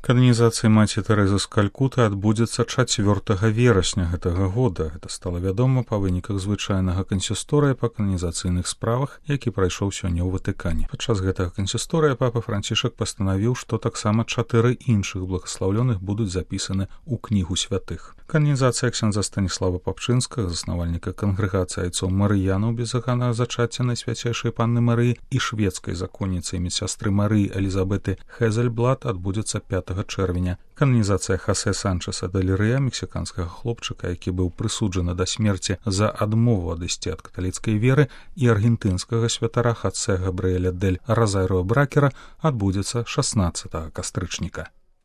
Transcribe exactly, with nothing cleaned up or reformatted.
Кананізацыя маці Тэрэзы з Калькуты адбудзецца чацвёртага верасня гэтага года. Гэта стала вядома па выніках звычайнага кансісторыя па кананізацыйных справах, які прайшоў сёння ў Ватыкане. Падчас гэтага кансісторыя папа Францішак пастанавіў, што таксама чатыры іншых благаслаўлёных будуць запісаны ў кнігу святых. Кананізацыя ксяндза Станіслава Папчынскага, заснавальніка кангрэгацыі айцоў Марыянаў беззаканнага зачацця Найсвяцейшай Панны Марыі і шведскай законніцы і медсястры Марыі Элізабеты Хезельблат адбудзецца пятага чэрвеня. Кананізацыя Хасе Санчеса де Лірыя, мексіканскага хлопчыка, які быў прысуджаны да смерці за адмову адысці ад каталіцкай веры, і аргентынскага святара Хасе Габрыэля дель Розарио Бракера адбудзецца шаснаццатага кастрычніка.